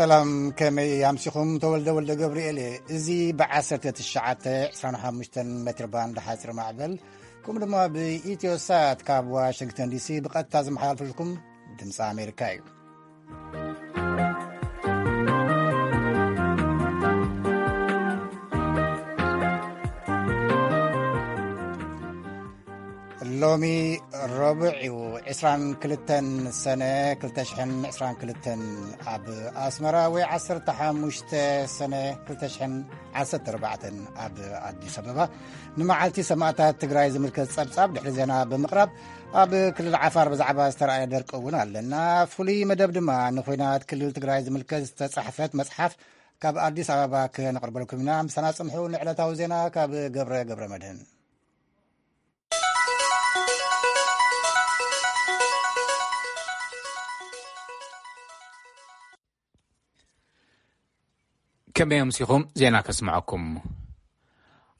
ሰላም፣ ከመይ ኣምሲኹም? ተወልደ ወልደ ገብርኤል እየ። እዚ ብ1925 ሜትር ባንድ ሓፂር ማዕበል፣ ከምኡ ድማ ብኢትዮ ሳት ካብ ዋሽንግተን ዲሲ ብቐጥታ ዝመሓላልፈልኩም ድምፂ ኣሜሪካ እዩ። ሎሚ ረቡዕ እዩ፣ 22 ሰነ 2022። ኣብ ኣስመራ ወይ 15 ሰነ 2014 ኣብ ኣዲስ ኣበባ ንመዓልቲ ሰማእታት ትግራይ ዝምልከት ጸብጻብ ድሕሪ ዜና ብምቕራብ፣ ኣብ ክልል ዓፋር ብዛዕባ ዝተረኣየ ደርቂ እውን ኣለና። ፍሉይ መደብ ድማ ንኹናት ክልል ትግራይ ዝምልከት ዝተጻሕፈት መጽሓፍ ካብ ኣዲስ ኣበባ ክነቕርበልኩም ኢና። ምሳና ጽንሑ። ንዕለታዊ ዜና ካብ ገብረ ገብረ መድህን። ከመይ ኣምሲኹም? ዜና ከስምዐኩም።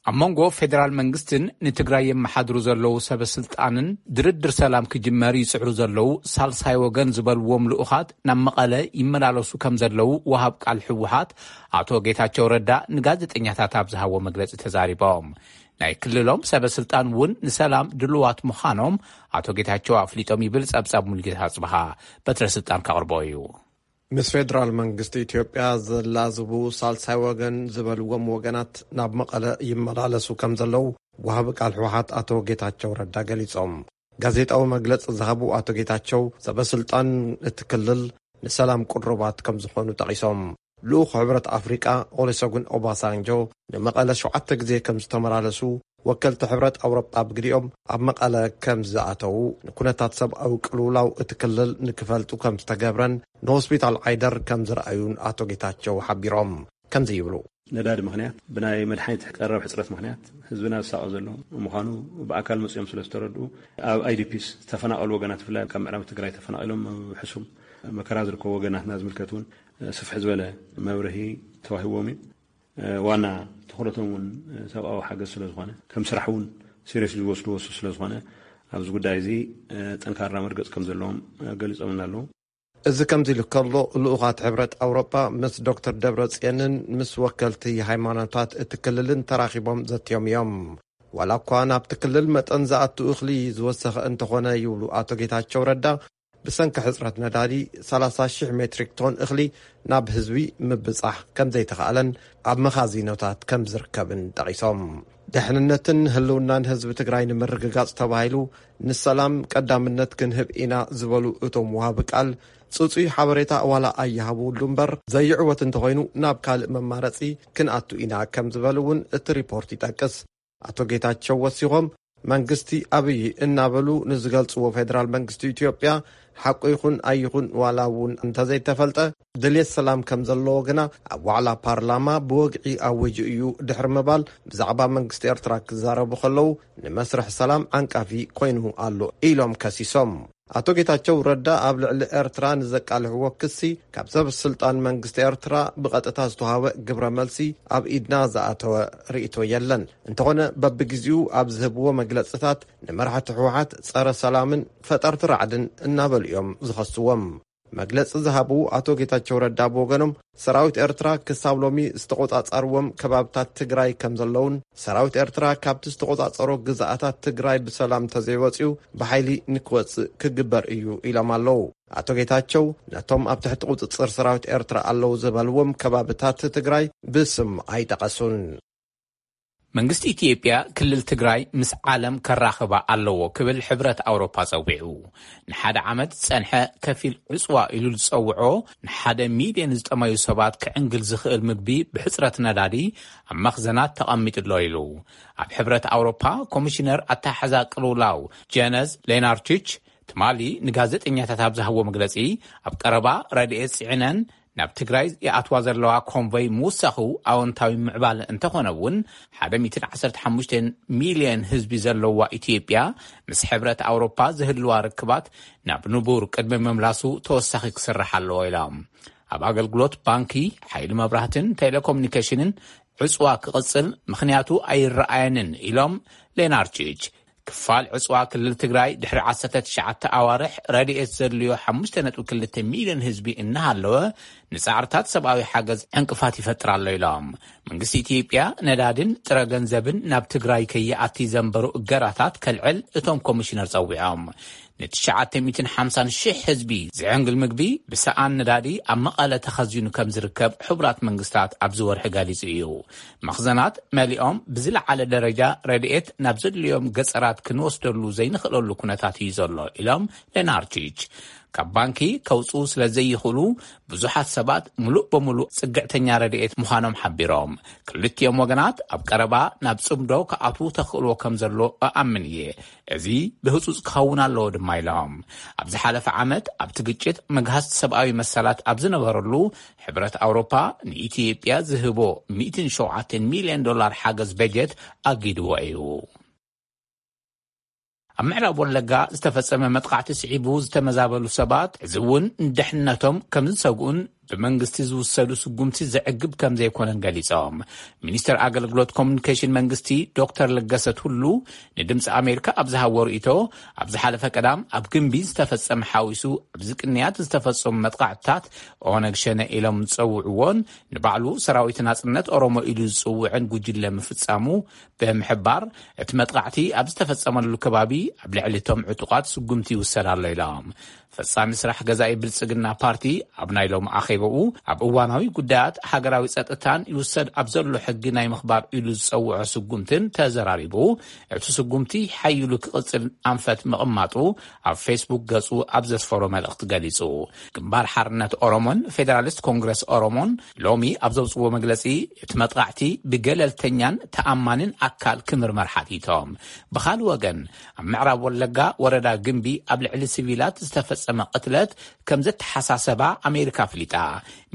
ኣብ መንጎ ፌደራል መንግስትን ንትግራይ የመሓድሩ ዘለዉ ሰበ ስልጣንን ድርድር ሰላም ክጅመር ይጽዕሩ ዘለዉ ሳልሳይ ወገን ዝበልዎም ልኡኻት ናብ መቐለ ይመላለሱ ከም ዘለዉ ወሃብ ቃል ህወሓት ኣቶ ጌታቸው ረዳ ንጋዜጠኛታት ኣብ ዝሃቦ መግለጺ ተዛሪቦም። ናይ ክልሎም ሰበ ስልጣን እውን ንሰላም ድልዋት ምዃኖም ኣቶ ጌታቸው ኣፍሊጦም ይብል ጸብጻብ ሙሉጌታ ኣጽብሃ። በትረ ስልጣን ከቕርቦ እዩ። ምስ ፌደራል መንግስቲ ኢትዮጵያ ዘላዝቡ ሳልሳይ ወገን ዝበልዎም ወገናት ናብ መቐለ ይመላለሱ ከም ዘለዉ ወሃቢ ቃል ህወሓት ኣቶ ጌታቸው ረዳ ገሊጾም። ጋዜጣዊ መግለጺ ዝሃቡ ኣቶ ጌታቸው፣ ሰበ ስልጣን እቲ ክልል ንሰላም ቅሩባት ከም ዝኾኑ ጠቒሶም። ልኡኽ ሕብረት ኣፍሪቃ ኦሉሰጉን ኦባሳንጆ ንመቐለ ሸውዓተ ግዜ ከም ዝተመላለሱ፣ ወከልቲ ሕብረት ኣውሮጳ ብግዲኦም ኣብ መቐለ ከም ዝኣተዉ፣ ንኩነታት ሰብኣዊ ቅልውላው እቲ ክልል ንክፈልጡ ከም ዝተገብረን ንሆስፒታል ዓይደር ከም ዝረኣዩን ኣቶ ጌታቸው ሓቢሮም። ከምዚ ይብሉ። ነዳዲ ምኽንያት፣ ብናይ መድሓኒት ቀረብ ሕፅረት ምኽንያት ህዝብና ዝሳቐ ዘሎ ምዃኑ ብኣካል መፂኦም ስለ ዝተረድኡ፣ ኣብ ኣይዲፒስ ዝተፈናቐሉ ወገናት፣ ብፍላይ ካብ ምዕራብ ትግራይ ተፈናቒሎም ኣብ ሕሱም መከራ ዝርከቡ ወገናትና ዝምልከት እውን ስፍሕ ዝበለ መብርሂ ተዋሂቦም እዩ። ዋና ትኹረቶም እውን ሰብኣዊ ሓገዝ ስለ ዝኾነ፣ ከም ስራሕ እውን ሲሪየስሊ ዝወስድዎ እሱ ስለ ዝኾነ፣ ኣብዚ ጉዳይ እዚ ጠንካራ መርገፂ ከም ዘለዎም ገሊፆምና ኣለዉ። እዚ ከምዚ ኢሉ ከሎ፣ ልኡኻት ሕብረት ኣውሮጳ ምስ ዶክተር ደብረጽዮንን ምስ ወከልቲ ሃይማኖታት እቲ ክልልን ተራኺቦም ዘትዮም እዮም። ዋላ እኳ ናብቲ ክልል መጠን ዝኣቱ እኽሊ ዝወሰኸ እንተኾነ፣ ይብሉ ኣቶ ጌታቸው ረዳ፣ ብሰንኪ ሕጽረት ነዳዲ 30,000 ሜትሪክ ቶን እኽሊ ናብ ህዝቢ ምብጻሕ ከም ዘይተኻእለን ኣብ መኻዚኖታት ከም ዝርከብን ጠቒሶም። ድሕንነትን ህልውናን ህዝቢ ትግራይ ንምርግጋጽ ተባሂሉ ንሰላም ቀዳምነት ክንህብ ኢና ዝበሉ እቶም ወሃቢ ቃል፣ ጽጹይ ሓበሬታ ዋላ ኣይሃብሉ እምበር፣ ዘይዕወት እንተኾይኑ ናብ ካልእ መማረጺ ክንኣቱ ኢና ከም ዝበሉ እውን እቲ ሪፖርት ይጠቅስ። ኣቶ ጌታቸው ወሲኾም፣ መንግስቲ ኣብይ እናበሉ ንዝገልጽዎ ፌደራል መንግስቲ ኢትዮጵያ፣ ሓቁ ይኹን ኣይኹን ዋላ እውን እንተዘይተፈልጠ፣ ድልየት ሰላም ከም ዘለዎ ግና ኣብ ዋዕላ ፓርላማ ብወግዒ ኣዊጁ እዩ ድሕሪ ምባል፣ ብዛዕባ መንግስቲ ኤርትራ ክዛረቡ ከለዉ፣ ንመስርሕ ሰላም ዓንቃፊ ኮይኑ ኣሎ ኢሎም ከሲሶም። ኣቶ ጌታቸው ረዳ ኣብ ልዕሊ ኤርትራ ንዘቃልሕዎ ክሲ፣ ካብ ሰብ ስልጣን መንግስቲ ኤርትራ ብቐጥታ ዝተዋሃበ ግብረ መልሲ ኣብ ኢድና ዝኣተወ ርእይቶ የለን። እንተኾነ፣ በብግዜኡ ኣብ ዝህብዎ መግለጽታት፣ ንመራሕቲ ህወሓት ጸረ ሰላምን ፈጠርቲ ራዕድን እናበሉ እዮም ዝኸስዎም። መግለጺ ዝሃቡ ኣቶ ጌታቸው ረዳ ብወገኖም፣ ሰራዊት ኤርትራ ክሳብ ሎሚ ዝተቖጻጸርዎም ከባብታት ትግራይ ከም ዘለውን፣ ሰራዊት ኤርትራ ካብቲ ዝተቖጻጸሮ ግዝኣታት ትግራይ ብሰላም እንተዘይወጽኡ፣ ብሓይሊ ንክወጽእ ክግበር እዩ ኢሎም ኣለዉ። ኣቶ ጌታቸው፣ ነቶም ኣብ ትሕቲ ቁጽጽር ሰራዊት ኤርትራ ኣለዉ ዝበልዎም ከባብታት ትግራይ ብስም ኣይጠቐሱን። መንግስቲ ኢትዮጵያ ክልል ትግራይ ምስ ዓለም ከራኽባ ኣለዎ ክብል ሕብረት ኣውሮፓ ጸዊዑ። ንሓደ ዓመት ዝጸንሐ ከፊል ዕጽዋ ኢሉ ዝጸውዖ፣ ንሓደ ሚልዮን ዝጠመዩ ሰባት ክዕንግል ዝኽእል ምግቢ ብሕጽረት ነዳዲ ኣብ መኽዘናት ተቐሚጡ ኣሎ ኢሉ። ኣብ ሕብረት ኣውሮፓ ኮሚሽነር ኣተሓሕዛ ቅልውላው ጀነዝ ሌናርችች ትማሊ ንጋዜጠኛታት ኣብ ዝሃብዎ መግለጺ፣ ኣብ ቀረባ ረድኤት ጽዒነን ናብ ትግራይ ይኣትዋ ዘለዋ ኮንቮይ ምውሳኹ ኣወንታዊ ምዕባለ እንተኾነ እውን፣ 115 ሚልዮን ህዝቢ ዘለዋ ኢትዮጵያ ምስ ሕብረት ኣውሮፓ ዝህልዋ ርክባት ናብ ንቡር ቅድሚ ምምላሱ ተወሳኺ ክስራሕ ኣለዎ ኢሎም። ኣብ ኣገልግሎት ባንኪ፣ ሓይሊ መብራህትን ቴሌኮሙኒኬሽንን ዕጽዋ ክቕጽል ምኽንያቱ ኣይረኣየንን ኢሎም ሌናርችች። ክፋል ዕፅዋ ክልል ትግራይ ድሕሪ ዓሰርተ ትሽዓተ ኣዋርሕ ረድኤት ዘድልዮ ሓሙሽተ ነጥቢ ክልተ ሚልዮን ህዝቢ እናሃለወ፣ ንፃዕርታት ሰብኣዊ ሓገዝ ዕንቅፋት ይፈጥር ኣሎ ኢሎም። መንግስቲ ኢትዮጵያ ነዳድን ጥረ ገንዘብን ናብ ትግራይ ከይኣቲ ዘንበሩ እገዳታት ከልዕል እቶም ኮሚሽነር ጸዊዖም። ንትሽዓተ ሚእትን ሓምሳን ሽሕ ህዝቢ ዝዕንግል ምግቢ ብሰኣን ነዳዲ ኣብ መቐለ ተኸዚኑ ከም ዝርከብ ሕቡራት መንግስታት ኣብዚ ወርሒ ገሊጹ እዩ። መኽዘናት መሊኦም ብዝለዓለ ደረጃ ረድኤት ናብ ዘድልዮም ገጸራት ክንወስደሉ ዘይንኽእለሉ ኩነታት እዩ ዘሎ ኢሎም ሌናርቺች። ካብ ባንኪ ከውጽኡ ስለ ዘይኽእሉ ብዙሓት ሰባት ምሉእ ብምሉእ ጽግዕተኛ ረድኤት ምዃኖም ሓቢሮም። ክልቲኦም ወገናት ኣብ ቀረባ ናብ ጽምዶ ክኣትዉ ተኽእሎ ከም ዘሎ እኣምን እየ። እዚ ብህጹጽ ክኸውን ኣለዎ ድማ ኢሎም። ኣብ ዝሓለፈ ዓመት ኣብቲ ግጭት መግሃስቲ ሰብኣዊ መሰላት ኣብ ዝነበረሉ ሕብረት ኣውሮፓ ንኢትዮጵያ ዝህቦ ሚእትን ሸውዓተን ሚልዮን ዶላር ሓገዝ በጀት ኣጊድዎ እዩ። ኣብ ምዕራብ ወለጋ ዝተፈጸመ መጥቃዕቲ ስዒቡ ዝተመዛበሉ ሰባት እዚ እውን ንድሕነቶም ከም ዝሰግኡን ብመንግስቲ ዝውሰዱ ስጉምቲ ዘዕግብ ከም ዘይኮነን ገሊጾም። ሚኒስትር ኣገልግሎት ኮሙኒኬሽን መንግስቲ ዶክተር ለገሰ ቱሉ ንድምፂ ኣሜሪካ ኣብ ዝሃቦ ርእይቶ፣ ኣብ ዝሓለፈ ቀዳም ኣብ ግንቢ ዝተፈጸመ ሓዊሱ ኣብዚ ቅንያት ዝተፈጸሙ መጥቃዕትታት ኦነግ ሸነ ኢሎም ዝጸውዕዎን ንባዕሉ ሰራዊት ናጽነት ኦሮሞ ኢሉ ዝጽውዕን ጉጅለ ምፍጻሙ ብምሕባር፣ እቲ መጥቃዕቲ ኣብ ዝተፈጸመሉ ከባቢ ኣብ ልዕሊ እቶም ዕጡቓት ስጉምቲ ይውሰድ ኣሎ ኢሎም። ፈጻሚ ስራሕ ገዛኢ ብልጽግና ፓርቲ ኣብ ናይ ሎሚ ኣኼባኡ ኣብ እዋናዊ ጉዳያት ሃገራዊ ጸጥታን ይውሰድ ኣብ ዘሎ ሕጊ ናይ ምኽባር ኢሉ ዝጸውዖ ስጉምትን ተዘራሪቡ፣ እቲ ስጉምቲ ሓይሉ ክቕጽል ኣንፈት ምቕማጡ ኣብ ፌስቡክ ገጹ ኣብ ዘስፈሮ መልእኽቲ ገሊጹ። ግንባር ሓርነት ኦሮሞን ፌደራሊስት ኮንግረስ ኦሮሞን ሎሚ ኣብ ዘውጽዎ መግለጺ፣ እቲ መጥቃዕቲ ብገለልተኛን ተኣማንን ኣካል ክምርመር ሓቲቶም። ብኻልእ ወገን፣ ኣብ ምዕራብ ወለጋ ወረዳ ግንቢ ኣብ ልዕሊ ሲቪላት ዝተፈጸመ ቅትለት ከም ዘተሓሳሰባ ኣሜሪካ ኣፍሊጣ።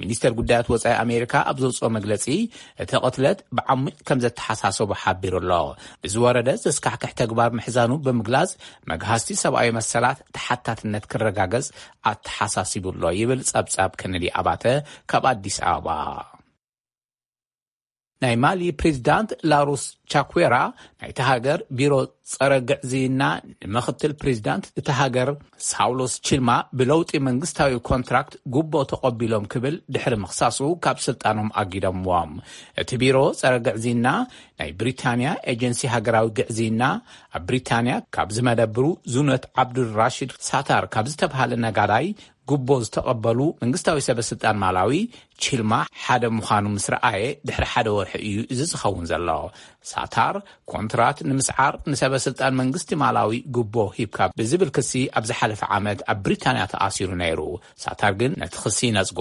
ሚኒስተር ጉዳያት ወጻኢ ኣሜሪካ ኣብ ዘውጽኦ መግለጺ፣ እቲ ቅትለት ብዓሚቕ ከም ዘተሓሳሰቦ ሓቢሩ ኣሎ። ብዝወረደ ዘስካሕክሕ ተግባር ምሕዛኑ ብምግላጽ፣ መግሃስቲ ሰብኣዊ መሰላት ተሓታትነት ክረጋገጽ ኣተሓሳሲቡ ኣሎ ይብል ጸብጻብ ከነዲ ኣባተ ካብ ኣዲስ ኣበባ። ናይ ማሊ ፕሬዚዳንት ላሩስ ቻኩዌራ ናይታ ሃገር ቢሮ ጸረ ግዕዝይና ንምኽትል ፕሬዚዳንት እታ ሃገር ሳውሎስ ቺልማ ብለውጢ መንግስታዊ ኮንትራክት ጉቦ ተቐቢሎም ክብል ድሕሪ ምኽሳሱ ካብ ስልጣኖም ኣጊዶምዎም። እቲ ቢሮ ጸረ ግዕዝይና ናይ ብሪታንያ ኤጀንሲ ሃገራዊ ግዕዝይና ኣብ ብሪታንያ ካብ ዝመደብሩ ዙነት ዓብዱል ራሽድ ሳታር ካብ ዝተብሃለ ነጋዳይ ጉቦ ዝተቐበሉ መንግስታዊ ሰበ ስልጣን ማላዊ ቺልማ ሓደ ምዃኑ ምስ ረኣየ ድሕሪ ሓደ ወርሒ እዩ እዚ ዝኸውን ዘሎ። ሳታር ኮንትራት ንምስዓር ንሰበ ስልጣን መንግስቲ ማላዊ ጉቦ ሂብካ ብዝብል ክሲ ኣብ ዝሓለፈ ዓመት ኣብ ብሪታንያ ተኣሲሩ ነይሩ። ሳታር ግን ነቲ ክሲ ይነጽጎ።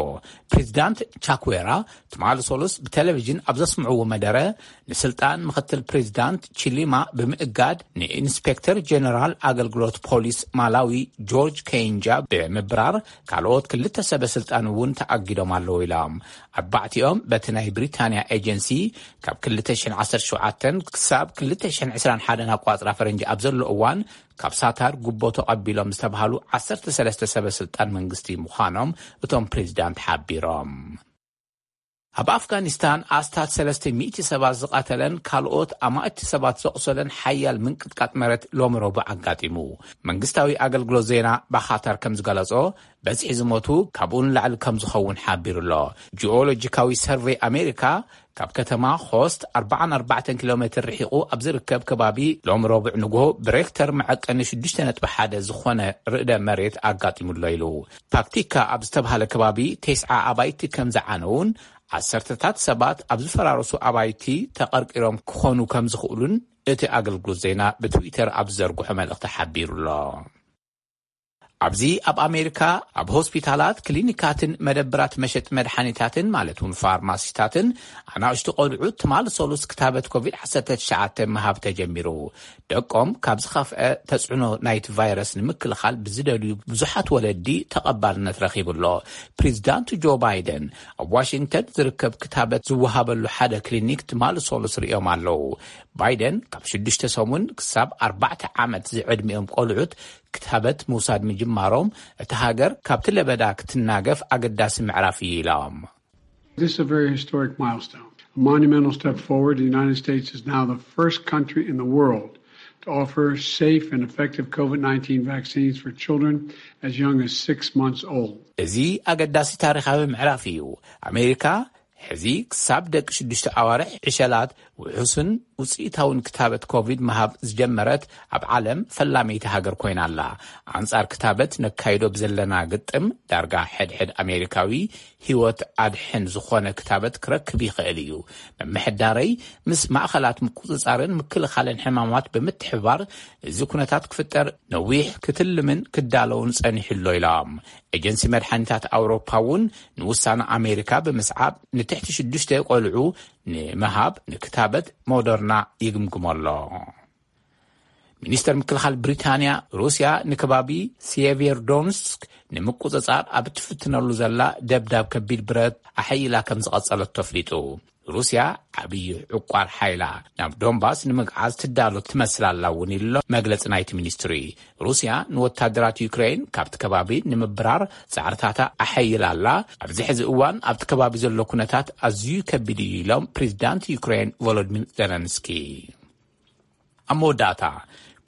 ፕሬዚዳንት ቻኩዌራ ትማሊ ሶሉስ ብቴሌቪዥን ኣብ ዘስምዕዎ መደረ፣ ንስልጣን ምኽትል ፕሬዚዳንት ቺሊማ ብምእጋድ ንኢንስፔክተር ጀነራል ኣገልግሎት ፖሊስ ማላዊ ጆርጅ ከይንጃ ብምብራር ካልኦት ክልተ ሰበ ስልጣን እውን ተኣጊዶም ኣለዉ ኢሎም። ኣርባዕቲኦም በቲ ናይ ብሪታንያ ኤጀንሲ ካብ ክልተ ሽሕን ዓሰርተ ሸውዓተን ክሳብ ክልተ ሽሕን ዕስራን ሓደን ኣቋጽራ ፈረንጂ ኣብ ዘሎ እዋን ካብ ሳታር ጉቦ ተቐቢሎም ዝተባሃሉ ዓሰርተ ሰለስተ ሰበ ስልጣን መንግስቲ ምዃኖም እቶም ፕሬዚዳንት ሓቢሮም። ኣብ ኣፍጋኒስታን ኣስታት ሰለስተ ሚእቲ ሰባት ዝቐተለን ካልኦት ኣማእቲ ሰባት ዘቑሰለን ሓያል ምንቅጥቃጥ መሬት ሎሚ ረቡዕ ኣጋጢሙ። መንግስታዊ ኣገልግሎት ዜና ባኻታር ከም ዝገለጾ፣ በዝሒ ዝሞቱ ካብኡ ንላዕሊ ከም ዝኸውን ሓቢሩ ኣሎ። ጂኦሎጂካዊ ሰርቬይ ኣሜሪካ ካብ ከተማ ኾስት ኣርባዓን ኣርባዕተን ኪሎ ሜትር ርሒቑ ኣብ ዝርከብ ከባቢ ሎም ረቡዕ ንግሆ ብሬክተር መዐቀኒ ሽዱሽተ ነጥቢ ሓደ ዝኾነ ርእደ መሬት ኣጋጢሙሎ ኢሉ። ፓክቲካ ኣብ ዝተባሃለ ከባቢ ተስዓ ኣባይቲ ከም ዝዓነውን ዓሰርተታት ሰባት ኣብ ዝፈራረሱ ኣባይቲ ተቐርቂሮም ክኾኑ ከም ዝኽእሉን እቲ ኣገልግሎት ዜና ብትዊተር ኣብ ዝዘርግሖ መልእኽቲ ሓቢሩ ኣሎ። ኣብዚ ኣብ ኣሜሪካ ኣብ ሆስፒታላት፣ ክሊኒካትን መደብራት መሸጢ መድሓኒታትን ማለት እውን ፋርማሲታትን ኣናእሽቱ ቆልዑ ትማሊ ሰሉስ ክታበት ኮቪድ ዓሰርተ ትሽዓተ ምሃብ ተጀሚሩ። ደቆም ካብ ዝኸፍአ ተጽዕኖ ናይቲ ቫይረስ ንምክልኻል ብዝደልዩ ብዙሓት ወለዲ ተቐባልነት ረኺቡ ኣሎ። ፕሬዚዳንት ጆ ባይደን ኣብ ዋሽንግተን ዝርከብ ክታበት ዝወሃበሉ ሓደ ክሊኒክ ትማሊ ሰሉስ ርእዮም ኣለዉ። ባይደን ካብ ሽዱሽተ ሰሙን ክሳብ ኣርባዕተ ዓመት ዝዕድሚኦም ቆልዑት ክታበት ምውሳድ ምጅማሮም፣ እታ ሃገር ካብቲ ለበዳ ክትናገፍ ኣገዳሲ ምዕራፍ እዩ ኢሎም። This is a very historic milestone, a monumental step forward. The United States is now the first country in the world to offer safe and effective COVID nineteen vaccines for children as young as six months old. እዚ ኣገዳሲ ታሪኻዊ ምዕራፍ እዩ። ኣሜሪካ ሕዚ ክሳብ ደቂ ሽዱሽተ ኣዋርሕ ዕሸላት ውሑስን ውፅኢታውን ክታበት ኮቪድ ምሃብ ዝጀመረት ኣብ ዓለም ፈላመይቲ ሃገር ኮይና ኣላ። ኣንጻር ክታበት ነካይዶ ብዘለና ግጥም ዳርጋ ሕድሕድ ኣሜሪካዊ ህይወት ኣድሕን ዝኾነ ክታበት ክረክብ ይኽእል እዩ። ምምሕዳረይ ምስ ማእኸላት ምቁፅፃርን ምክልኻልን ሕማማት ብምትሕባር እዚ ኩነታት ክፍጠር ነዊሕ ክትልምን ክዳለውን ጸኒሑ ኣሎ ኢሎም። ኤጀንሲ መድሓኒታት ኣውሮፓ እውን ንውሳነ ኣሜሪካ ብምስዓብ ንትሕቲ ሽዱሽተ ቆልዑ ንምሃብ ንክታበት ሞደርና ይግምግሞ ኣሎ። ሚኒስተር ምክልኻል ብሪታንያ ሩስያ ንከባቢ ሴቬርዶንስክ ንምቁጽጻር ኣብ እትፍትነሉ ዘላ ደብዳብ ከቢድ ብረት ኣሐይላ ከም ዝቐጸለት ተፍሊጡ። ሩስያ ዓብዪ ዕቋር ሓይላ ናብ ዶንባስ ንምግዓዝ ትዳሎ ትመስል ኣላ እውን ኢሎ መግለጺ ናይቲ ሚኒስትሪ። ሩስያ ንወታደራት ዩክሬን ካብቲ ከባቢ ንምብራር ጻዕርታታ ኣሐይላ ኣላ። ኣብዚ ሕዚ እዋን ኣብቲ ከባቢ ዘሎ ኩነታት ኣዝዩ ከቢድ እዩ ኢሎም ፕሬዚዳንት ዩክሬን ቮሎዲሚር ዘለንስኪ። ኣብ መወዳእታ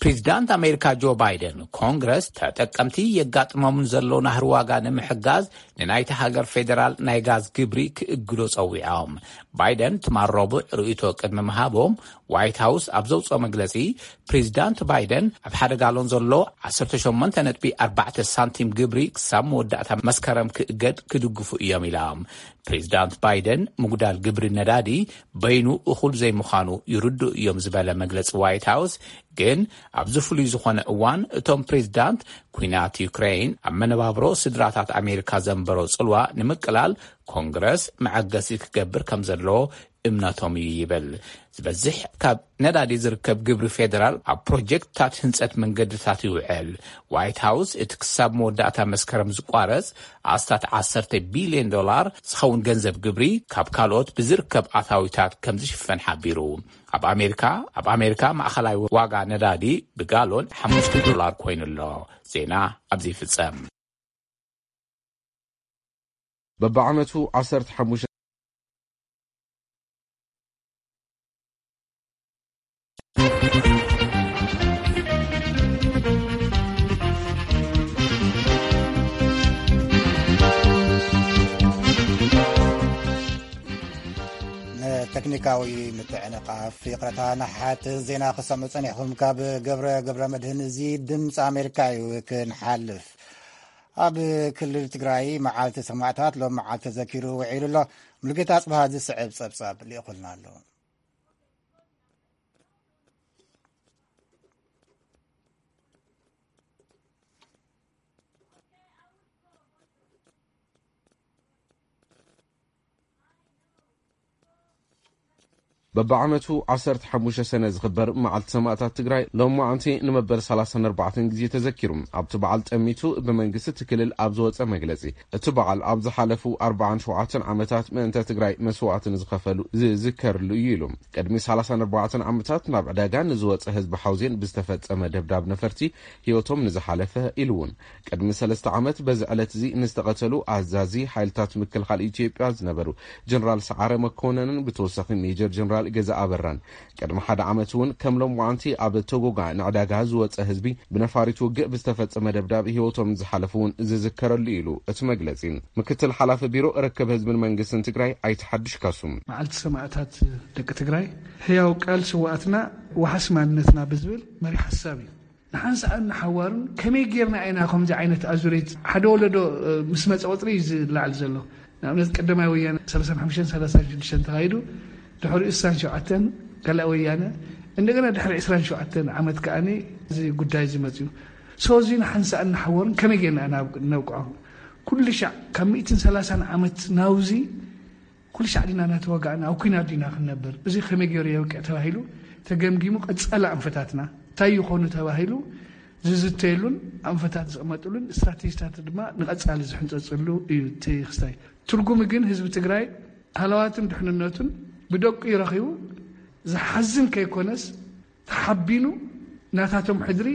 ፕሬዚዳንት ኣሜሪካ ጆ ባይደን ኮንግረስ ተጠቀምቲ የጋጥሞምን ዘሎ ናህሪ ዋጋ ንምሕጋዝ ንናይቲ ሃገር ፌዴራል ናይ ጋዝ ግብሪ ክእግዶ ጸዊዖም። ባይደን ትማል ረቡዕ ርእይቶ ቅድሚ ምሃቦም ዋይት ሃውስ ኣብ ዘውፅኦ መግለጺ ፕሬዚዳንት ባይደን ኣብ ሓደ ጋሎን ዘሎ ዓሰርተ ሸሞንተ ነጥቢ ኣርባዕተ ሳንቲም ግብሪ ክሳብ መወዳእታ መስከረም ክእገድ ክድግፉ እዮም ኢሎም። ፕሬዚዳንት ባይደን ምጉዳል ግብሪ ነዳዲ በይኑ እኹል ዘይምዃኑ ይርድኡ እዮም ዝበለ መግለጺ ዋይት ሃውስ ግን ኣብዚ ፍሉይ ዝኾነ እዋን እቶም ፕሬዚዳንት ኩናት ዩክሬን ኣብ መነባብሮ ስድራታት ኣሜሪካ ዘንበሮ ጽልዋ ንምቅላል ኮንግረስ መዐገሲ ክገብር ከም ዘለዎ እምነቶም እዩ ይብል። ዝበዝሕ ካብ ነዳዲ ዝርከብ ግብሪ ፌደራል ኣብ ፕሮጀክትታት ህንጸት መንገድታት ይውዕል። ዋይት ሃውስ እቲ ክሳብ መወዳእታ መስከረም ዝቋረጽ ኣስታት ዓሰርተ ቢልዮን ዶላር ዝኸውን ገንዘብ ግብሪ ካብ ካልኦት ብዝርከብ ኣታዊታት ከም ዝሽፈን ሓቢሩ። ኣብ ኣሜሪካ ኣብ ኣሜሪካ ማእኸላይ ዋጋ ነዳዲ ብጋሎን ሓሙሽተ ዶላር ኮይኑ ኣሎ። ዜና ኣብዚ ይፍጸም። በብዓመቱ ዓሰርተ ሓሙሽተ ንተክኒካዊ ምትዕንቓፍ ይቕረታ። ንሓት ዜና ክሰምዑ ጸኒሕኹም። ካብ ገብረ ገብረ መድህን። እዚ ድምፂ ኣሜሪካ እዩ። ክንሓልፍ ኣብ ክልል ትግራይ መዓልቲ ሰማእታት ሎም መዓልቲ ተዘኪሩ ውዒሉ ኣሎ። ሙሉጌታ ኣጽብሃ ዝስዕብ ጸብጻብ ልኢኹልና ኣሎ። በብዓመቱ ዓሰርተ ሓሙሽተ ሰነ ዝኽበር መዓልቲ ሰማእታት ትግራይ ሎማዓንቲ ንመበል ሰላሳን ኣርባዕተን ግዜ ተዘኪሩ። ኣብቲ በዓል ጠሚቱ ብመንግስቲ እቲ ክልል ኣብ ዝወፀ መግለፂ፣ እቲ በዓል ኣብ ዝሓለፉ ኣርባዓን ሸውዓተን ዓመታት ምእንተ ትግራይ መስዋእቲ ንዝኸፈሉ ዝዝከርሉ እዩ ኢሉ። ቅድሚ ሰላሳን ኣርባዕተን ዓመታት ናብ ዕዳጋ ንዝወፀ ህዝቢ ሓውዜን ብዝተፈፀመ ደብዳብ ነፈርቲ ህይወቶም ንዝሓለፈ ኢሉ እውን ቅድሚ ሰለስተ ዓመት በዚ ዕለት እዚ ንዝተቐተሉ ኣዛዚ ሓይልታት ምክልኻል ኢትዮጵያ ዝነበሩ ጀነራል ሰዓረ መኮነንን ብተወሳኺ ሜጀር ጀነራል ገዛ ኣበራን ቅድሚ ሓደ ዓመት እውን ከም ሎማዓንቲ ኣብ ቶጎጋ ንዕዳጋ ዝወፀ ህዝቢ ብነፋሪት ውግእ ብዝተፈፀመ ደብዳብ ህይወቶም ዝሓለፉ እውን ዝዝከረሉ ኢሉ እቲ መግለፂ። ምክትል ሓላፊ ቢሮ ርክብ ህዝብን መንግስትን ትግራይ ኣይተ ሓዱሽ ካሱ። መዓልቲ ሰማእታት ደቂ ትግራይ፣ ህያው ቃል ስውኣትና፣ ዋሕስ ማንነትና ብዝብል መሪሕ ሓሳብ እዩ። ንሓንሳእን ንሓዋሩን ከመይ ጌርና ኢና ከምዚ ዓይነት ኣዙሪት ሓደ ወለዶ፣ እ፣ ምስ መጸ ቁጽሪ እዩ ዝለዓል ዘሎ። ንኣብነት ቀዳማይ ወያነ ሰላሳን ሓሙሽተን ሰላሳን ሽዱሽተን ተኻይዱ፣ ድሕሪኡ ስሳን ሸውዓተን ካልኣይ ወያነ፣ እንደገና ድሕሪ ዕስራን ሸውዓተን ዓመት ከኣኒ እዚ ጉዳይ እዚ መጽዩ። ሶ እዚ ንሓንሳእን ንሓዋሩን ከመይ ጌርና ኢና ናብ-፣ ነብቅዖ? ኩሉ ሻዕ ካብ ሚእትን ሰላሳን ዓመት ናውዚ ኩሉ ሻዕ ዲና እናተዋጋእና ኣብ ኲናት ዲና ክንነብር? እዚ ከመይ ገይሩ የብቅዕ ተባሂሉ ተገምጊሙ ቀጻሊ ኣንፈታትና እንታይ ይኾኑ ተባሂሉ ዝዝተየሉን ኣንፈታት ዝቕመጥሉን ስትራቴጂታት ድማ ንቐጻሊ ዝሕንጸጽሉ እዩ እቲ ክስታይ። ትርጉሙ ግን ህዝቢ ትግራይ ሃለዋቱን ድሕንነቱን ብደቁ እዩ ረኺቡ። ዝሓዝን ከይኮነስ ተሓቢኑ ናታቶም ሕድሪ፣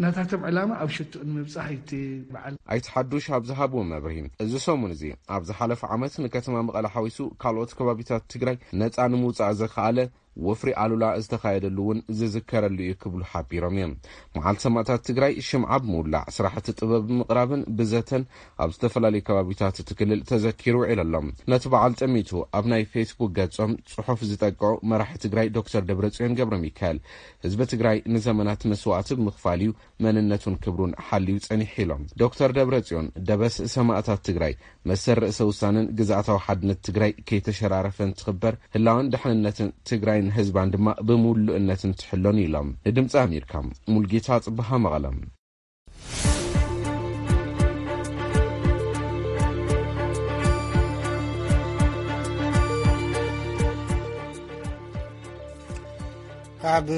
ናታቶም ዕላማ ኣብ ሽትኡ ንምብጻሕ እዩ እቲ በዓል። ኣይተ ሓዱሽ ኣብ ዝሃብዎ መብርሂ፣ እዚ ሰሙን እዚ ኣብ ዝሓለፈ ዓመት ንከተማ መቐለ ሓዊሱ ካልኦት ከባቢታት ትግራይ ነጻ ንምውጻእ ዘኽኣለ ወፍሪ ኣሉላ ዝተኻየደሉ እውን ዝዝከረሉ እዩ ክብሉ ሓቢሮም እዮም። መዓልቲ ሰማእታት ትግራይ ሽምዓ ብምውላዕ፣ ስራሕቲ ጥበብ ብምቕራብን ብዘተን ኣብ ዝተፈላለዩ ከባቢታት እቲ ክልል ተዘኪሩ ውዒሉ ኣሎ። ነቲ በዓል ጠሚቱ ኣብ ናይ ፌስቡክ ገጾም ጽሑፍ ዝጠቅዑ መራሒ ትግራይ ዶክተር ደብረጽዮን ገብረ ሚካኤል፣ ህዝቢ ትግራይ ንዘመናት መስዋእቲ ብምኽፋል እዩ መንነቱን ክብሩን ሓልዩ ጸኒሑ ኢሎም። ዶክተር ደብረጽዮን፣ ደበስ ሰማእታት ትግራይ መሰል ርእሰ ውሳነን ግዝኣታዊ ሓድነት ትግራይ ከይተሸራረፈ እንትኽበር፣ ህላወን ድሕንነትን ትግራይን ህዝባን ድማ ብምሉእነት እንትሕሎን ኢሎም። ንድምፂ ኣሜሪካ፣ ሙልጌታ ጽብሃ፣ መቐለም። ካብ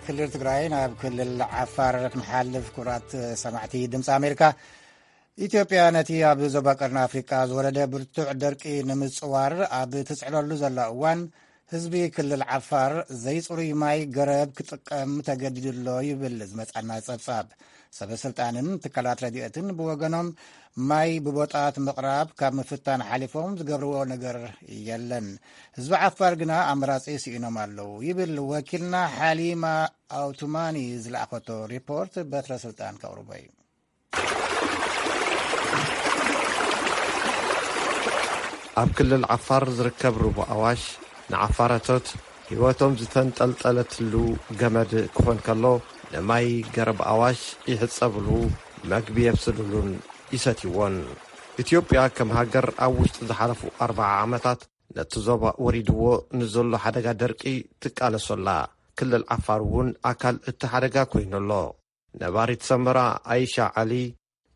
ክልል ትግራይ ናብ ክልል ዓፋር ክንሓልፍ፣ ክቡራት ሰማዕቲ ድምፂ ኣሜሪካ፣ ኢትዮጵያ ነቲ ኣብ ዞባ ቀርኒ ኣፍሪቃ ዝወረደ ብርቱዕ ደርቂ ንምጽዋር ኣብ ትጽዕረሉ ዘላ እዋን፣ ህዝቢ ክልል ዓፋር ዘይጽሩይ ማይ ገረብ ክጥቀም ተገዲዱ ኣሎ ይብል ዝመጻና ጸብጻብ። ሰበ ስልጣንን ትካላት ረድኤትን ብወገኖም፣ ማይ ብቦጣት ምቕራብ ካብ ምፍታን ሓሊፎም ዝገብርዎ ነገር የለን። ህዝቢ ዓፋር ግና ኣማራጺ ስኢኖም ኣለዉ ይብል ወኪልና ሓሊማ ኣውቱማኒ ዝለኣኸቶ ሪፖርት። በትረ ስልጣን ከቕርቦ እዩ። ኣብ ክልል ዓፋር ዝርከብ ሩባ ኣዋሽ ንዓፋረቶት ህይወቶም ዝተንጠልጠለትሉ ገመድ ክኾን ከሎ፣ ንማይ ገረብ ኣዋሽ ይሕጸብሉ፣ መግቢ የብስልሉን ይሰትይዎን። ኢትዮጵያ ከም ሃገር ኣብ ውሽጢ ዝሓለፉ ኣርብዓ ዓመታት ነቲ ዞባ ወሪድዎ ንዘሎ ሓደጋ ደርቂ ትቃለሶ ኣላ። ክልል ዓፋር እውን ኣካል እቲ ሓደጋ ኮይኑ ኣሎ። ነባሪት ሰመራ ኣይሻ ዓሊ፣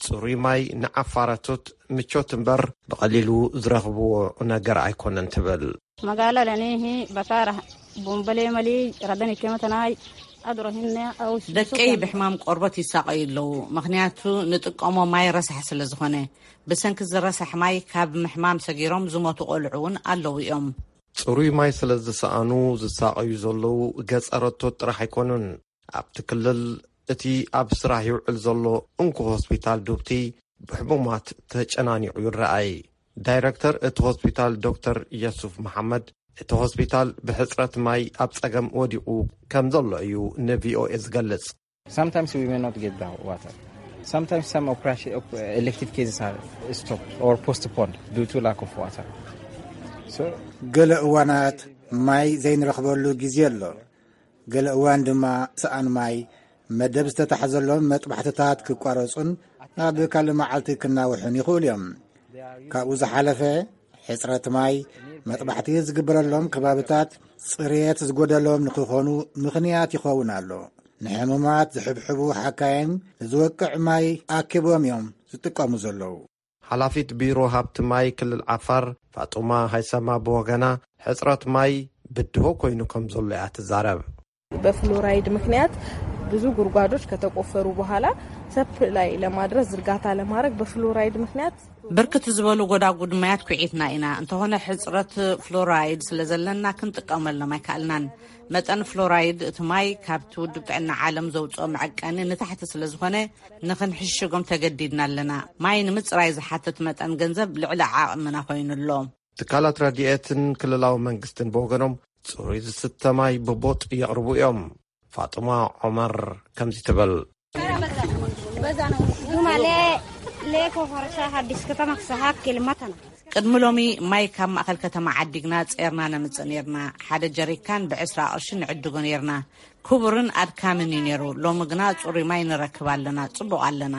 ጽሩይ ማይ ንዓፋረቶት ምቾት እምበር ብቐሊሉ ዝረኽብዎ ነገር ኣይኮነን ትብል። መጋላ ለኔሂ በሳራ ቦምበሌ መሊ ረደን ይከመተናይ ኣድሮሂነ ኣውስ ደቀይ ብሕማም ቆርበት ይሳቐዩ ኣለዉ፣ ምኽንያቱ ንጥቀሞ ማይ ረሳሕ ስለ ዝኾነ። ብሰንኪ ዝረሳሕ ማይ ካብ ምሕማም ሰጊሮም ዝሞቱ ቆልዑ እውን ኣለዉ እዮም። ጽሩይ ማይ ስለ ዝሰኣኑ ዝሳቐዩ ዘለዉ ገጸረቶት ጥራሕ ኣይኮኑን። ኣብቲ ክልል እቲ ኣብ ስራሕ ይውዕል ዘሎ እንኮ ሆስፒታል ዱብቲ ብሕሙማት ተጨናኒቑ ይረኣይ። ዳይረክተር እቲ ሆስፒታል ዶክተር የሱፍ መሓመድ፣ እቲ ሆስፒታል ብሕጽረት ማይ ኣብ ጸገም ወዲቑ ከም ዘሎ እዩ ንቪኦኤ ዝገልጽ። Sometimes we may not get the water. Sometimes some operation, op- elective cases are stopped or postponed due to lack of water. So ገለ እዋናት ማይ ዘይንረኽበሉ ግዜ ኣሎ። ገለ እዋን ድማ ሰኣን ማይ፣ መደብ ዝተታሕዘሎም መጥባሕትታት ክቋረጹን ናብ ካልእ መዓልቲ ክናውሑን ይኽእሉ እዮም። ካብኡ ዝሓለፈ፣ ሕጽረት ማይ፣ መጥባሕቲ ዝግበረሎም ከባብታት ጽሬት ዝጎደሎም ንኽኾኑ ምኽንያት ይኸውን ኣሎ። ንሕሙማት ዝሕብሕቡ ሓካይም ንዝወቅዕ ማይ ኣኪቦም እዮም ዝጥቀሙ ዘለዉ። ሓላፊት ቢሮ ሃብቲ ማይ ክልል ዓፋር ፋጡማ ሃይሰማ ብወገና፣ ሕጽረት ማይ ብድሆ ኮይኑ ከም ዘሎ እያ ትዛረብ። በፍሎራይድ ምክንያት ብዙ ጉድጓዶች ከተቆፈሩ በኋላ ሰፕላይ ለማድረስ ዝርጋታ ለማድረግ በፍሎራይድ ምክንያት ብርክት ዝበሉ ጎዳጉድ ማያት ኩዒትና ኢና። እንተኾነ ሕጽረት ፍሎራይድ ስለ ዘለና ክንጥቀመሎም ኣይከኣልናን። መጠን ፍሎራይድ እቲ ማይ ካብቲ ውድብ ጥዕና ዓለም ዘውፅኦ መዐቀኒ ንታሕቲ ስለ ዝኾነ ንኽንሕሽጎም ተገዲድና ኣለና። ማይ ንምፅራይ ዝሓትት መጠን ገንዘብ ልዕሊ ዓቕምና ኮይኑ ኣሎ። ትካላት ረድኤትን ክልላዊ መንግስትን ብወገኖም ጽሩይ ዝስተ ማይ ብቦጥ የቕርቡ እዮም። ፋጡማ ዑመር ከምዚ ትብል። ዱማሌ ሌኮ ሆርሻ ሓዲስ ከተማ ክሰሓት ኬልማታና። ቅድሚ ሎሚ ማይ ካብ ማእኸል ከተማ ዓዲግና ጼርና ነምጽእ ኔርና። ሓደ ጀሪካን ብዕስራ ቅርሺ ንዕድጎ ኔርና። ክቡርን ኣድካምን እዩ ኔሩ። ሎሚ ግና ጽሩይ ማይ ንረክብ ኣለና፣ ጽቡቕ ኣለና።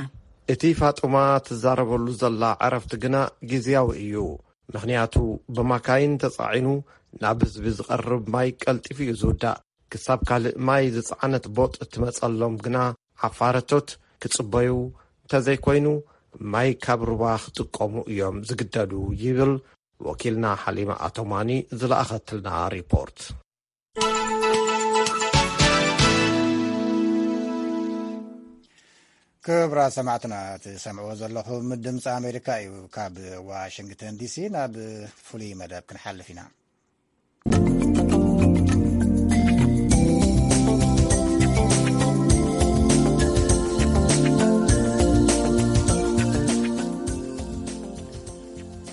እቲ ፋጡማ ትዛረበሉ ዘላ ዕረፍቲ ግና ግዝያዊ እዩ። ምኽንያቱ ብማካይን ተጻዒኑ ናብ ህዝቢ ዝቐርብ ማይ ቀልጢፉ እዩ ዝውዳእ። ክሳብ ካልእ ማይ ዝጸዓነት ቦጥ እትመጸሎም ግና ዓፋረቶት ክጽበዩ፣ እንተዘይኮይኑ ማይ ካብ ሩባ ክጥቀሙ እዮም ዝግደዱ ይብል ወኪልና ሓሊማ ኣቶማኒ ዝለኣኸትልና ሪፖርት። ክቡራት ሰማዕትና፣ ትሰምዕዎ ዘለኹም ድምፂ ኣሜሪካ እዩ። ካብ ዋሽንግተን ዲሲ ናብ ፍሉይ መደብ ክንሓልፍ ኢና።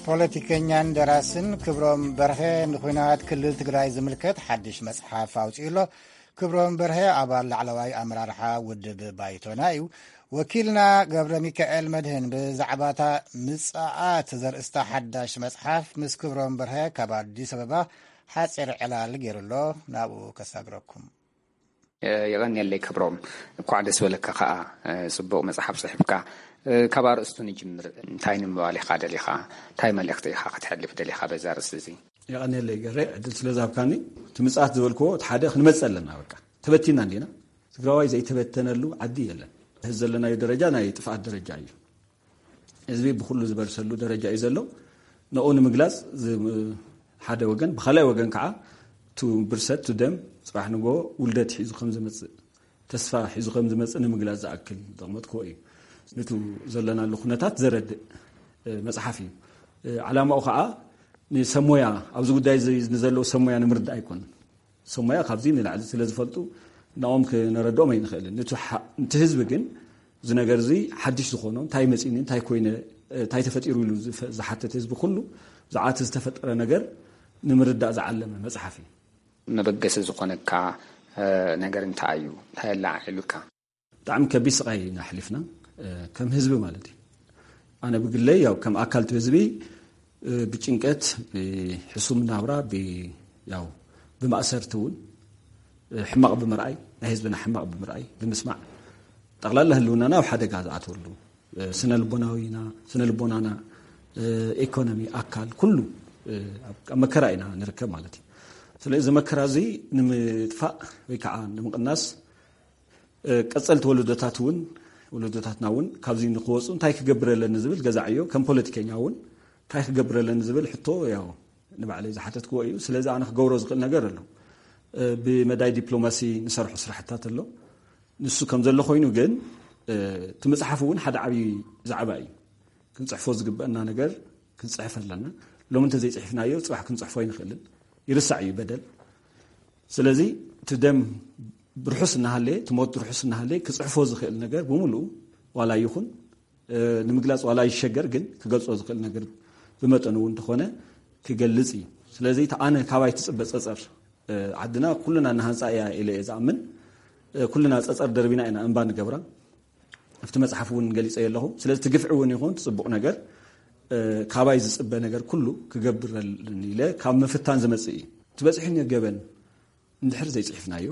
ፖለቲከኛን ደራስን ክብሮም በርሀ ንኹናት ክልል ትግራይ ዝምልከት ሓድሽ መጽሓፍ ኣውጺኡ ኣሎ። ክብሮም በርሀ ኣባል ላዕለዋይ ኣመራርሓ ውድብ ባይቶና እዩ። ወኪልና ገብረ ሚካኤል መድህን ብዛዕባታ ምጽኣት ዘርእስታ ሓዳሽ መጽሓፍ ምስ ክብሮም በርሀ ካብ ኣዲስ ኣበባ ሓጺር ዕላል ገይሩ ኣሎ። ናብኡ ከሳግረኩም። የቐንየለይ ክብሮም፣ እኳዕ ደስ በለካ። ከኣ ጽቡቕ መጽሓፍ ጽሒፍካ። ካብ ኣርእስቱ ንጅምር። እንታይ ንምባል ኢኻ ደሊኻ? እንታይ መልእኽቲ ኢኻ ክትሕልፍ ደሊኻ በዛ ኣርእስቲ እዚ? የቐንየለይ ገሬ፣ ዕድል ስለ ዝሃብካኒ። እቲ ምጽኣት ዝበልክዎ፣ እቲ ሓደ ክንመጽእ ኣለና። በቃ ተበቲና እንዲና። ትግራዋይ ዘይተበተነሉ ዓዲ የለን። እዚ ዘለናዮ ደረጃ ናይ ጥፍኣት ደረጃ እዩ። ህዝቢ ብኩሉ ዝበርሰሉ ደረጃ እዩ ዘሎ። ንኡ ንምግላጽ ሓደ ወገን፣ ብኻልኣይ ወገን ከዓ ቱ ብርሰት ቱ ደም ጽባሕ ንጎ ውልደት ሒዙ ከም ዝመጽእ፣ ተስፋ ሒዙ ከም ዝመጽእ ንምግላጽ ዝኣክል ዘቕመጥክዎ እዩ። ንቱ ዘለናሉ ኩነታት ዘረድእ መጽሓፍ እዩ። ዓላማኡ ከዓ ንሰሞያ፣ ኣብዚ ጉዳይ ንዘለዉ ሰሞያ ንምርዳእ ኣይኮነን። ሰሞያ ካብዚ ንላዕሊ ስለ ዝፈልጡ ናኦም ክነረድኦም ኣይንኽእልን። ንቱ ህዝቢ ግን እዚ ነገር እዚ ሓድሽ ዝኾኖ እንታይ መፂኒ እንታይ ኮይነ እንታይ ተፈጢሩ ኢሉ ዝሓተት ህዝቢ ኩሉ ብዛዕባ እቲ ዝተፈጠረ ነገር ንምርዳእ ዝዓለመ መፅሓፍ እዩ። መበገሲ ዝኾነካ ነገር እንታይ እዩ? እንታይ ኣላዓዒሉካ? ብጣዕሚ ከቢድ ስቓይ ኢና ኣሕሊፍና ከም ህዝቢ ማለት እዩ። ኣነ ብግለይ ያው ከም ኣካል እቲ ህዝቢ ብጭንቀት ብሕሱም ናብራ ያው ብማእሰርቲ እውን ሕማቕ ብምርኣይ ናይ ህዝብና ሕማቕ ብምርኣይ ብምስማዕ ጠቕላላ ህልውናና ኣብ ሓደጋ ዝኣተወሉ ስነ ልቦናዊና ስነ ልቦናና ኢኮኖሚ ኣካል ኩሉ ኣብ መከራ ኢና ንርከብ ማለት እዩ። ስለዚ እዚ መከራ እዚ ንምጥፋእ ወይ ከዓ ንምቕናስ ቀፀልቲ ወለዶታት እውን ወለዶታትና እውን ካብዚ ንክወፁ እንታይ ክገብር ኣለኒ ዝብል ገዛዕዮ ከም ፖለቲከኛ እውን እንታይ ክገብር ኣለኒ ዝብል ሕቶ ያው ንባዕለይ ዝሓተትክዎ እዩ። ስለዚ ኣነ ክገብሮ ዝኽእል ነገር ኣሎ። ብመዳይ ዲፕሎማሲ ንሰርሖ ስራሕታት ኣሎ። ንሱ ከም ዘሎ ኮይኑ ግን እቲ መፅሓፍ እውን ሓደ ዓብዪ ዛዕባ እዩ። ክንፅሕፎ ዝግበአና ነገር ክንፅሕፍ ኣለና። ሎሚ እንተዘይፅሒፍናዮ ፅባሕ ክንፅሕፎ ኣይንኽእልን። ይርሳዕ እዩ በደል። ስለዚ እቲ ደም ብርሑስ እናሃለየ እቲ ሞት ብርሑስ እናሃለየ ክፅሕፎ ዝኽእል ነገር ብምሉኡ ዋላ ይኹን ንምግላፅ ዋላ ይሸገር ግን ክገልፆ ዝኽእል ነገር ብመጠኑ እውን እንተኾነ ክገልፅ እዩ። ስለዚ እቲ ኣነ ካባይ ትፅበ ፀፀር ዓድና ኩልና እናሃንፃ እያ ኢለ እየ ዝኣምን። ኩልና ፀፀር ደርቢና ኢና እንባ ንገብራ። ኣብቲ መፅሓፍ እውን ገሊፀ ኣለኹ። ስለዚ እቲ ግፍዒ እውን ይኹን እቲ ፅቡቕ ነገር ካባይ ዝፅበ ነገር ኩሉ ክገብር ኢለ ካብ ምፍታን ዝመፅእ እዩ። እቲ በፂሑኒ ገበን እንድሕር ዘይፅሒፍናዮ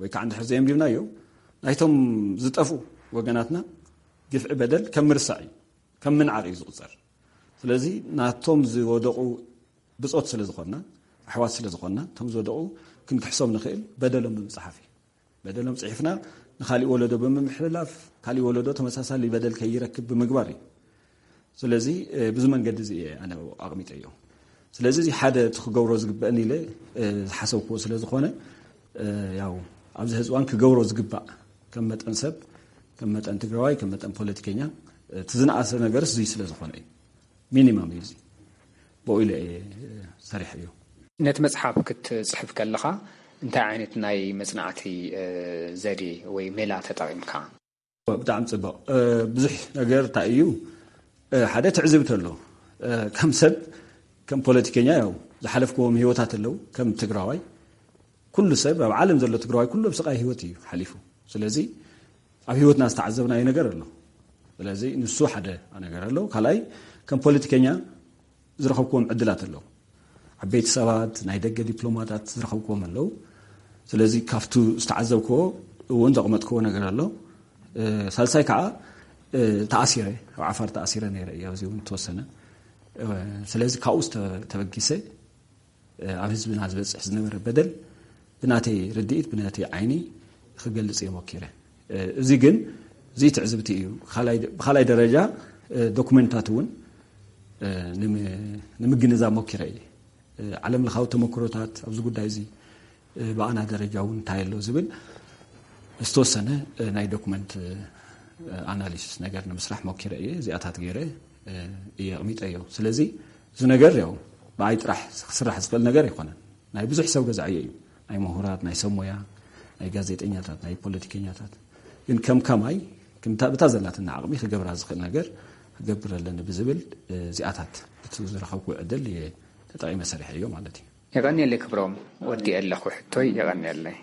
ወይ ከዓ እንድሕር ዘየንቢብናዮ ናይቶም ዝጠፍኡ ወገናትና ግፍዒ በደል ከም ምርሳዕ እዩ፣ ከም ምንዓቕ እዩ ዝቑፀር። ስለዚ ናቶም ዝወደቑ ብፆት ስለ ዝኾንና ኣሕዋት ስለ ዝኾንና እቶም ዝወደቑ ክንክሕሶም ንኽእል በደሎም ብምፅሓፍ እዩ። በደሎም ፅሒፍና ንካሊእ ወለዶ ብምምሕልላፍ ካሊእ ወለዶ ተመሳሳሊ በደል ከይረክብ ብምግባር እዩ። ስለዚ ብዙ መንገዲ እዚ እየ ኣነ ኣቕሚጠዮ። ስለዚ እዚ ሓደ እቲ ክገብሮ ዝግበአኒ ኢለ ዝሓሰብክዎ ስለ ዝኾነ ያው ኣብዚ ሕዚ እዋን ክገብሮ ዝግባእ ከም መጠን ሰብ ከም መጠን ትግራዋይ ከም መጠን ፖለቲከኛ እቲ ዝነኣሰ ነገርስ እዙይ ስለ ዝኾነ እዩ። ሚኒማም እዩ እዚ ብኡ ኢለ እየ ሰሪሐዮ። ነቲ መፅሓፍ ክትፅሕፍ ከለኻ እንታይ ዓይነት ናይ መፅናዕቲ ዘዴ ወይ ሜላ ተጠቒምካ? ብጣዕሚ ፅቡቕ። ብዙሕ ነገር እንታይ እዩ ሓደ ትዕዝብቲ ኣሎ። ከም ሰብ ከም ፖለቲከኛ ያው ዝሓለፍክዎም ህይወታት ኣለዉ። ከም ትግራዋይ ኩሉ ሰብ ኣብ ዓለም ዘሎ ትግራዋይ ኩሉ ኣብ ስቓይ ህይወት እዩ ሓሊፉ። ስለዚ ኣብ ህይወትና ዝተዓዘብናዮ ነገር ኣሎ። ስለዚ ንሱ ሓደ ነገር ኣሎ። ካልኣይ ከም ፖለቲከኛ ዝረኸብክዎም ዕድላት ኣለዉ። ዓበይቲ ሰባት ናይ ደገ ዲፕሎማታት ዝረኸብክዎም ኣለዉ። ስለዚ ካብቱ ዝተዓዘብክዎ እውን ዘቕመጥክዎ ነገር ኣሎ። ሳልሳይ ከዓ ተኣሲረ ኣብ ዓፋር ተኣሲረ ነይረ እየ ኣብዚ እውን ተወሰነ። ስለዚ ካብኡ ተበጊሰ ኣብ ህዝብና ዝበፅሕ ዝነበረ በደል ብናተይ ርድኢት ብናተይ ዓይኒ ክገልፅ እየ ሞኪረ። እዚ ግን እዚ ትዕዝብቲ እዩ። ብካልኣይ ደረጃ ዶኩመንታት እውን ንምግንዛብ ሞኪረ እየ። ዓለም ለኻዊ ተመክሮታት ኣብዚ ጉዳይ እዚ ብኣና ደረጃ እውን እንታይ ኣሎ ዝብል ዝተወሰነ ናይ ዶኩመንት ኣናሊሲስ ነገር ንምስራሕ ሞኪረ እየ። እዚኣታት ገይረ እየ ኣቕሚጠዮ። ስለዚ እዚ ነገር ያው ብኣይ ጥራሕ ክስራሕ ዝኽእል ነገር ኣይኮነን። ናይ ብዙሕ ሰብ ገዛዕዮ እዩ። ናይ ምሁራት፣ ናይ ሰብ ሞያ፣ ናይ ጋዜጠኛታት፣ ናይ ፖለቲከኛታት ግን ከም ከማይ ብታ ዘላትና ዓቕሚ ክገብራ ዝኽእል ነገር ክገብር ኣለኒ ብዝብል፣ እ፣ እዚኣታት እቲ ዝረኸብኩ ዕድል እየ ተጠቒመ ሰሪሐዮ ማለት እዩ። የቐንየለይ ክብሮም፣ ወዲኤ ኣለኹ ሕቶይ፣ የቐንየለይ።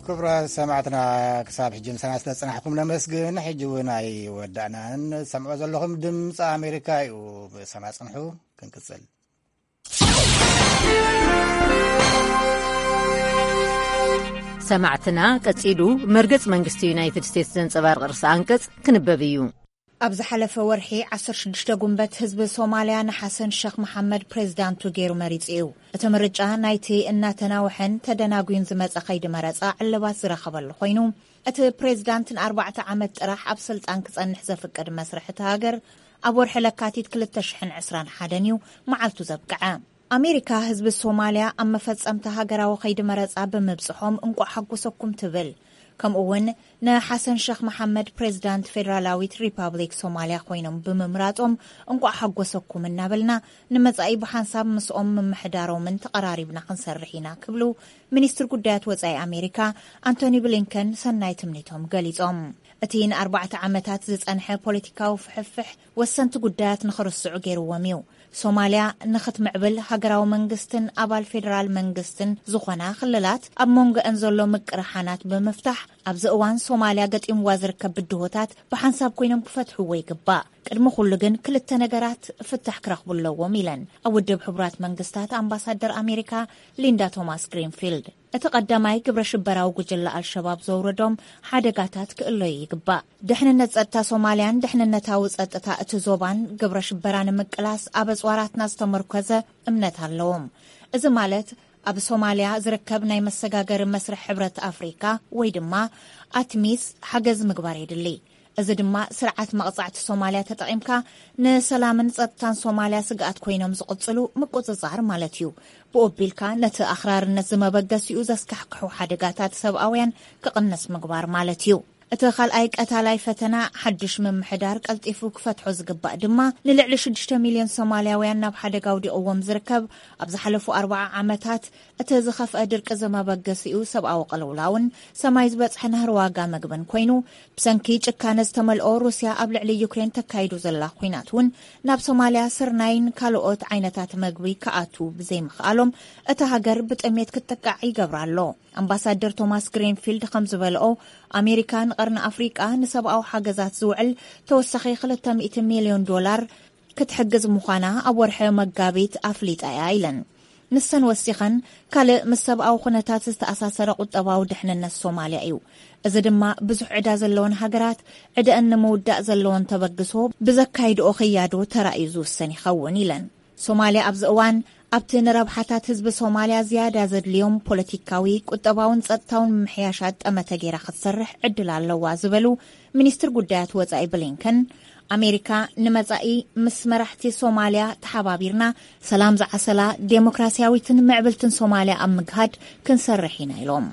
ክቡራት ሰማዕትና፣ ክሳብ ሕጂ ምሳና ስለ ዝጸናሕኩም ነመስግን። ሕጂ እውን ኣይወዳእናን። ሰምዖ ዘለኹም ድምፂ ኣሜሪካ እዩ። ምሳና ጽንሑ፣ ክንቅጽል። ሰማዕትና፣ ቀጺሉ መርገጽ መንግስቲ ዩናይትድ ስቴትስ ዘንጸባርቕ ርእሰ ኣንቀጽ ክንበብ እዩ። ኣብ ዝሓለፈ ወርሒ ዓሰርተ ሽዱሽተ ጉንበት ህዝቢ ሶማልያ ንሓሰን ሸኽ መሓመድ ፕሬዝዳንቱ ገይሩ መሪጹ እዩ። እቲ ምርጫ ናይቲ እናተናውሐን ተደናጉዩን ዝመጸ ከይዲ መረጻ ዕልባት ዝረኸበሉ ኮይኑ፣ እቲ ፕሬዝዳንት ንኣርባዕተ ዓመት ጥራሕ ኣብ ስልጣን ክጸንሕ ዘፍቅድ መስርሕ እቲ ሃገር ኣብ ወርሒ ለካቲት ክልተ ሽሕን ዕስራን ሓደን እዩ መዓልቱ ዘብቅዐ። ኣሜሪካ ህዝቢ ሶማልያ ኣብ መፈጸምታ ሃገራዊ ከይዲ መረጻ ብምብጽሖም እንቋዕ ሓጎሰኩም ትብል። ከምኡ እውን ንሓሰን ሸኽ መሓመድ ፕሬዝዳንት ፌደራላዊት ሪፓብሊክ ሶማልያ ኮይኖም ብምምራጾም እንቋዕ ሓጎሰኩም እናበልና፣ ንመጻኢ ብሓንሳብ ምስኦም ምምሕዳሮምን ተቐራሪብና ክንሰርሕ ኢና ክብሉ ሚኒስትር ጉዳያት ወጻኢ ኣሜሪካ ኣንቶኒ ብሊንከን ሰናይ ትምኒቶም ገሊጾም። እቲ ንኣርባዕተ ዓመታት ዝጸንሐ ፖለቲካዊ ፍሕፍሕ ወሰንቲ ጉዳያት ንኽርስዑ ገይርዎም እዩ። ሶማልያ ንኽትምዕብል ሃገራዊ መንግስትን ኣባል ፌደራል መንግስትን ዝኾና ክልላት ኣብ መንጎአን ዘሎ ምቅርሓናት ብምፍታሕ፣ ኣብዚ እዋን ሶማልያ ገጢምዋ ዝርከብ ብድሆታት ብሓንሳብ ኮይኖም ክፈትሕዎ ይግባእ። ቅድሚ ኩሉ ግን ክልተ ነገራት ፍታሕ ክረኽቡ ኣለዎም ኢለን ኣብ ውድብ ሕቡራት መንግስታት ኣምባሳደር ኣሜሪካ ሊንዳ ቶማስ ግሪንፊልድ። እቲ ቀዳማይ ግብረ ሽበራዊ ጉጅለ ኣልሸባብ ዘውረዶም ሓደጋታት ክእለዩ ይግባእ። ድሕንነት ጸጥታ ሶማልያን ድሕንነታዊ ጸጥታ እቲ ዞባን ግብረ ሽበራ ንምቅላስ ኣብ ኣጽዋራትና ዝተመርኮዘ እምነት ኣለዎም። እዚ ማለት ኣብ ሶማልያ ዝርከብ ናይ መሰጋገሪ መስርሕ ሕብረት ኣፍሪካ ወይ ድማ ኣትሚስ ሓገዝ ምግባር የድሊ። እዚ ድማ ስርዓት መቕጻዕቲ ሶማልያ ተጠቒምካ ንሰላምን ጸጥታን ሶማልያ ስግኣት ኮይኖም ዝቕጽሉ ምቁጽጻር ማለት እዩ። ብኡ ኣቢልካ ነቲ ኣኽራርነት ዝመበገሲኡ ዘስካሕክሑ ሓደጋታት ሰብኣውያን ክቕንስ ምግባር ማለት እዩ። እቲ ካልኣይ ቀታላይ ፈተና ሓድሽ ምምሕዳር ቀልጢፉ ክፈትሖ ዝግባእ ድማ ንልዕሊ ሽዱሽተ ሚልዮን ሶማልያውያን ናብ ሓደጋ ኣውዲቕዎም ዝርከብ ኣብ ዝሓለፉ ኣርብዓ ዓመታት እቲ ዝኸፍአ ድርቂ ዝመበገሲኡ ሰብኣዊ ቅልውላውን ሰማይ ዝበጽሐ ናህሪ ዋጋ መግብን ኮይኑ፣ ብሰንኪ ጭካነ ዝተመልኦ ሩስያ ኣብ ልዕሊ ዩክሬን ተካይዶ ዘላ ኲናት እውን ናብ ሶማልያ ስርናይን ካልኦት ዓይነታት መግቢ ክኣቱ ብዘይምኽኣሎም እታ ሃገር ብጥሜት ክትጥቃዕ ይገብራ ኣሎ። ኣምባሳደር ቶማስ ግሪንፊልድ ከም ዝበልኦ፣ ኣሜሪካ ንቐርኒ ኣፍሪቃ ንሰብኣዊ ሓገዛት ዝውዕል ተወሳኺ ክልተ ሚእቲ ሚልዮን ዶላር ክትሕግዝ ምዃና ኣብ ወርሒ መጋቢት ኣፍሊጣ እያ ኢለን። ንሰን ወሲኸን፣ ካልእ ምስ ሰብኣዊ ኩነታት ዝተኣሳሰረ ቁጠባዊ ድሕንነት ሶማልያ እዩ። እዚ ድማ ብዙሕ ዕዳ ዘለወን ሃገራት ዕደአን ንምውዳእ ዘለወን ተበግሶ ብዘካይድኦ ክያዶ ተራእዩ ዝውሰን ይኸውን ኢለን። ሶማልያ ኣብዚ እዋን ኣብቲ ንረብሓታት ህዝቢ ሶማልያ ዝያዳ ዘድልዮም ፖለቲካዊ፣ ቁጠባውን ጸጥታውን ምምሕያሻት ጠመተ ገይራ ክትሰርሕ ዕድል ኣለዋ ዝበሉ ሚኒስትር ጉዳያት ወጻኢ ብሊንከን፣ ኣሜሪካ ንመጻኢ ምስ መራሕቲ ሶማልያ ተሓባቢርና ሰላም ዝዓሰላ ዴሞክራሲያዊትን ምዕብልትን ሶማልያ ኣብ ምግሃድ ክንሰርሕ ኢና ኢሎም።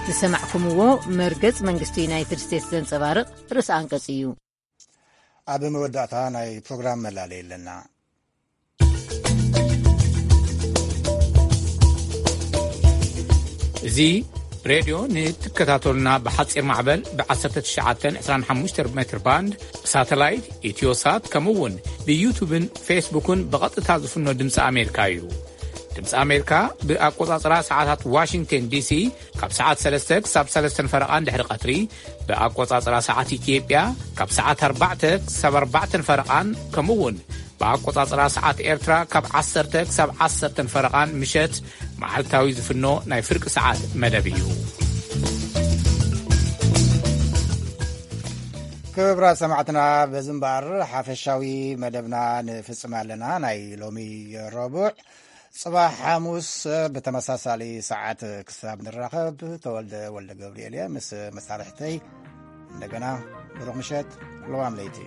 ዝሰማዕኩምዎ መርገጽ መንግስቲ ዩናይትድ ስቴትስ ዘንጸባርቕ ርእሰ ኣንቀጽ እዩ። ኣብ መወዳእታ ናይ ፕሮግራም መላለይ ኣለና። እዚ ሬድዮ ንትከታተሉና ብሓጺር ማዕበል ብ1925 ሜትር ባንድ፣ ብሳተላይት፣ ኢትዮሳት፣ ከምኡ እውን ብዩቱብን ፌስቡክን ብቐጥታ ዝፍኖ ድምፂ ኣሜሪካ እዩ። ድምፂ ኣሜሪካ ብኣቆጻጽራ ሰዓታት ዋሽንግተን ዲሲ ካብ ሰዓት ሰለስተ ክሳብ ሰለስተን ፈረቓን ድሕሪ ቀትሪ፣ ብኣቆጻጽራ ሰዓት ኢትዮጵያ ካብ ሰዓት ኣርባዕተ ክሳብ ኣርባዕተን ፈረቓን፣ ከምኡ እውን ብኣቆጻጽራ ሰዓት ኤርትራ ካብ ዓሰርተ ክሳብ ዓሰርተን ፈረቓን ምሸት መዓልታዊ ዝፍኖ ናይ ፍርቂ ሰዓት መደብ እዩ። ክቡራት ሰማዕትና፣ በዚ እምበኣር ሓፈሻዊ መደብና ንፍጽም ኣለና። ናይ ሎሚ ረቡዕ፣ ጽባሕ ሓሙስ ብተመሳሳሊ ሰዓት ክሳብ ንራኸብ፣ ተወልደ ወልደ ገብርኤል እየ ምስ መሳርሕተይ። እንደገና ብሩኽ ምሸት፣ ለዋም ለይቲ።